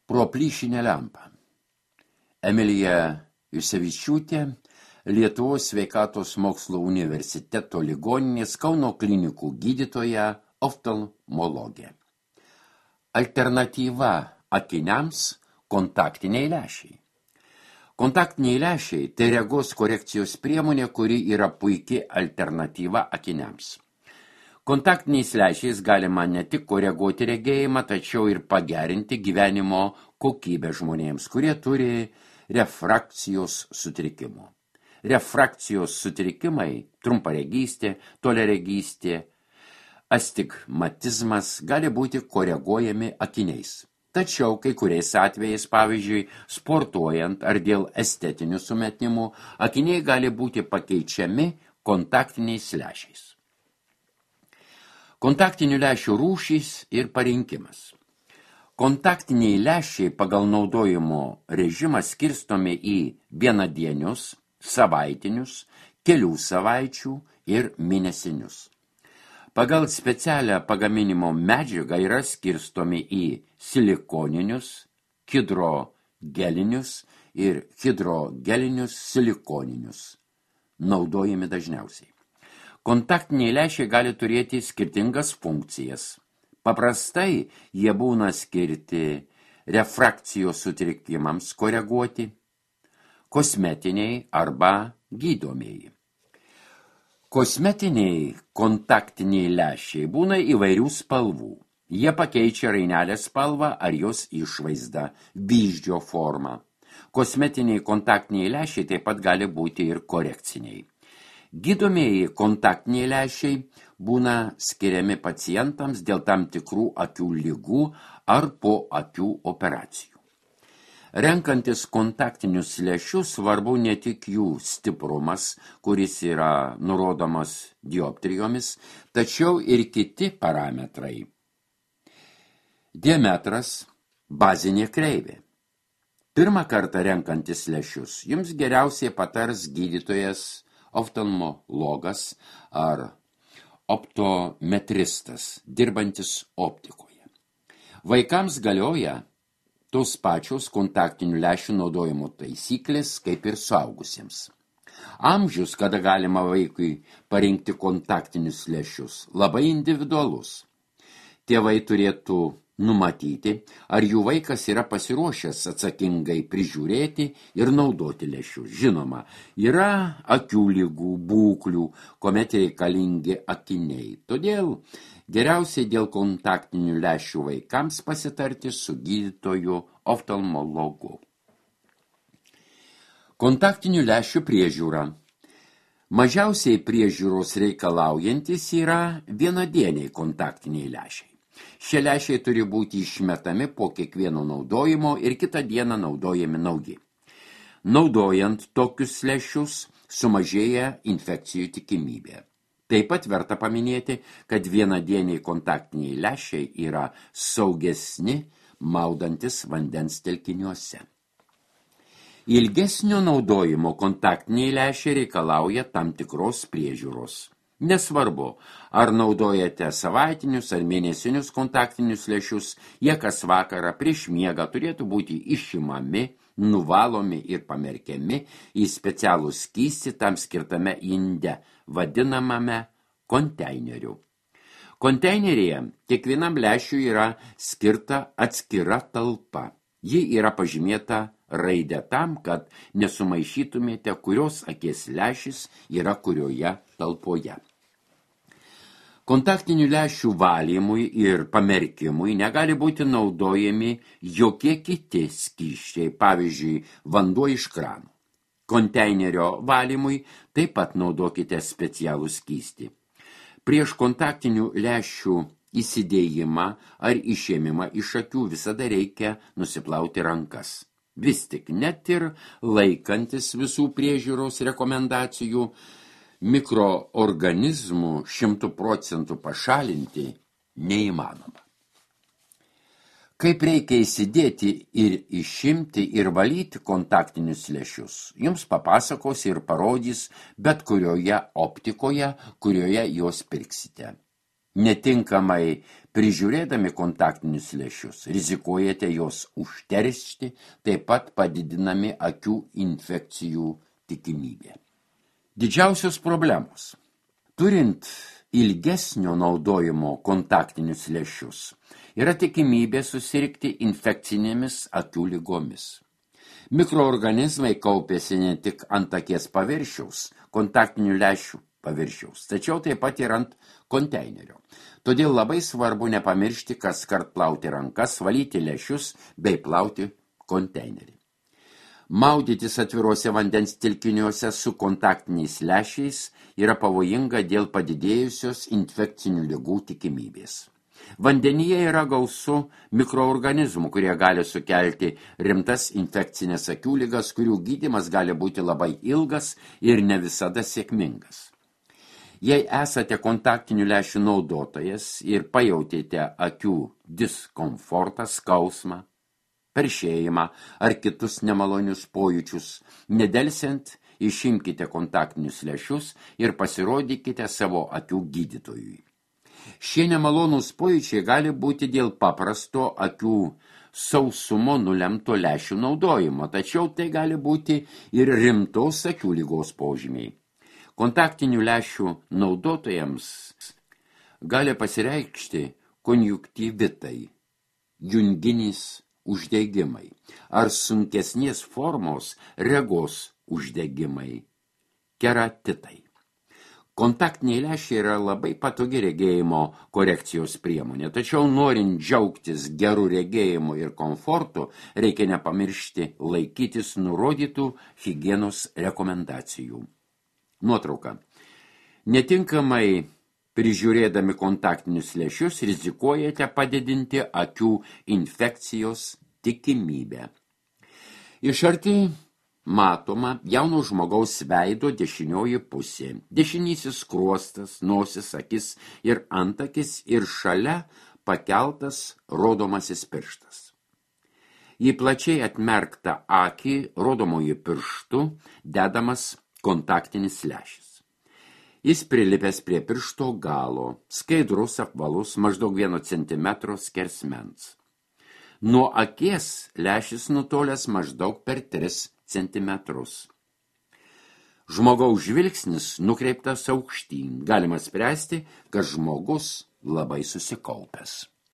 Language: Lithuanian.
Pro plyšinę lempą. Emilija Jusevičiūtė, Lietuvos sveikatos mokslo universiteto ligoninės Kauno klinikų gydytoja, oftalmologė. Alternatyva akiniams – kontaktiniai lęšiai. Kontaktiniai lęšiai – tai regos korekcijos priemonė, kuri yra puiki alternatyva akiniams. Kontaktiniais lęšiais galima ne tik koreguoti regėjimą, tačiau ir pagerinti gyvenimo kokybę žmonėms, kurie turi refrakcijos sutrikimų. Refrakcijos sutrikimai, trumparegystė, toliaregystė, astigmatizmas gali būti koreguojami akiniais. Tačiau kai kuriais atvejais, pavyzdžiui, sportuojant ar dėl estetinių sumetimų, akiniai gali būti pakeičiami kontaktiniais lęšiais. Kontaktinių lęšių rūšys ir parinkimas. Kontaktiniai lęšiai pagal naudojimo režimą skirstomi į vienadienius, savaitinius, kelių savaičių ir mėnesinius. Pagal specialią pagaminimo medžiagą yra skirstomi į silikoninius, hidrogelinius ir hidrogelinius silikoninius, naudojami dažniausiai. Kontaktiniai lęšiai gali turėti skirtingas funkcijas. Paprastai jie būna skirti refrakcijos sutrikimams koreguoti, kosmetiniai arba gydomieji. Kosmetiniai kontaktiniai lęšiai būna įvairių spalvų. Jie pakeičia rainelės spalvą ar jos išvaizdą, vyzdžio formą. Kosmetiniai kontaktiniai lęšiai taip pat gali būti ir korekciniai. Gydomieji kontaktiniai lęšiai būna skiriami pacientams dėl tam tikrų akių ligų ar po akių operacijų. Renkantis kontaktinius lęšius svarbu ne tik jų stiprumas, kuris yra nurodomas dioptrijomis, tačiau ir kiti parametrai. Diametras, bazinė kreivė. Pirmą kartą renkantis lęšius jums geriausiai patars gydytojas, oftalmologas ar optometristas, dirbantis optikoje. Vaikams galioja tos pačios kontaktinių lęšių naudojimo taisyklės kaip ir suaugusiems. Amžius, kada galima vaikui parinkti kontaktinius lęšius, labai individualus. Tėvai turėtų numatyti, ar jų vaikas yra pasiruošęs atsakingai prižiūrėti ir naudoti lęšius. Žinoma, yra akių ligų, būklių, kuomet reikalingi akiniai. Todėl geriausiai dėl kontaktinių lęšių vaikams pasitarti su gydytoju oftalmologu. Kontaktinių lęšių priežiūra. Mažiausiai priežiūros reikalaujantis yra vienadieniai kontaktiniai lęšiai. Šie lęšiai turi būti išmetami po kiekvieno naudojimo ir kitą dieną naudojami nauji. Naudojant tokius lęšius sumažėja infekcijų tikimybė. Taip pat verta paminėti, kad vienadieniai kontaktiniai lęšiai yra saugesni maudantis vandens telkiniuose. Ilgesnio naudojimo kontaktiniai lęšiai reikalauja tam tikros priežiūros. Nesvarbu, ar naudojate savaitinius ar mėnesinius kontaktinius lęšius, jie kas vakarą prieš miegą turėtų būti išimami, nuvalomi ir pamerkiami į specialų skystį tam skirtame inde, vadinamame konteineriu. Konteineryje kiekvienam lęšiui yra skirta atskira talpa. Ji yra pažymėta raidė tam, kad nesumaišytumėte, kurios akies lęšis yra kurioje talpoje. Kontaktinių lęšių valymui ir pamerkimui negali būti naudojami jokie kiti skysčiai, pavyzdžiui, vanduo iš krano. Konteinerio valymui taip pat naudokite specialų skystį. Prieš kontaktinių lęšių įsidėjimą ar išėmimą iš akių visada reikia nusiplauti rankas. Vis tik net ir laikantis visų priežiūros rekomendacijų, mikroorganizmų 100% pašalinti neįmanoma. Kaip reikia įsidėti ir išimti ir valyti kontaktinius lęšius, jums papasakos ir parodys bet kurioje optikoje, kurioje juos pirksite. Netinkamai prižiūrėdami kontaktinius lęšius, rizikuojate juos užteršti, taip pat padidinami akių infekcijų tikimybė. Didžiausios problemos. Turint ilgesnio naudojimo kontaktinius lęšius, yra tikimybė susirgti infekcinėmis akių ligomis. Mikroorganizmai kaupėsi ne tik ant akies paviršiaus, kontaktinių lęšių paviršiaus, tačiau taip pat ir ant konteinerio. Todėl labai svarbu nepamiršti, kaskart plauti rankas, valyti lęšius bei plauti konteinerį. Maudytis atviruose vandens telkiniuose su kontaktiniais lęšiais yra pavojinga dėl padidėjusios infekcinių ligų tikimybės. Vandenyje yra gausu mikroorganizmų, kurie gali sukelti rimtas infekcinės akių ligas, kurių gydymas gali būti labai ilgas ir ne visada sėkmingas. Jei esate kontaktinių lęšių naudotojas ir pajautėte akių diskomfortą, skausmą, peršėjimą ar kitus nemalonius pojūčius, nedelsiant išimkite kontaktinius lęšius ir pasirodykite savo akių gydytojui. Šie nemalonūs pojūčiai gali būti dėl paprasto akių sausumo nulemto lęšių naudojimo, tačiau tai gali būti ir rimtos akių ligos požymiai. Kontaktinių lęšių naudotojams gali pasireikšti konjunktyvitai, junginis uždegimai ar sunkesnės formos regos uždegimai, keratitai. Kontaktiniai lęšiai yra labai patogi regėjimo korekcijos priemonė, tačiau norint džiaugtis gerų regėjimų ir komfortų, reikia nepamiršti laikytis nurodytų higienos rekomendacijų. Nuotrauka. Netinkamai prižiūrėdami kontaktinius lęšius rizikuojate padidinti akių infekcijos tikimybę. Iš arti matoma jauno žmogaus veido dešinioji pusė, dešinysis skruostas, nosis, akis ir antakis ir šalia pakeltas rodomasis pirštas. Į plačiai atmerktą akį rodomoji pirštu dedamas kontaktinis lęšis. Jis prilipęs prie piršto galo, skaidrus, apvalus, maždaug 1 centimetro skersmens. Nuo akies lęšis nutolęs maždaug per 3 centimetrus. Žmogaus žvilgsnis nukreiptas aukštyn. Galima spręsti, kad žmogus labai susikaupęs.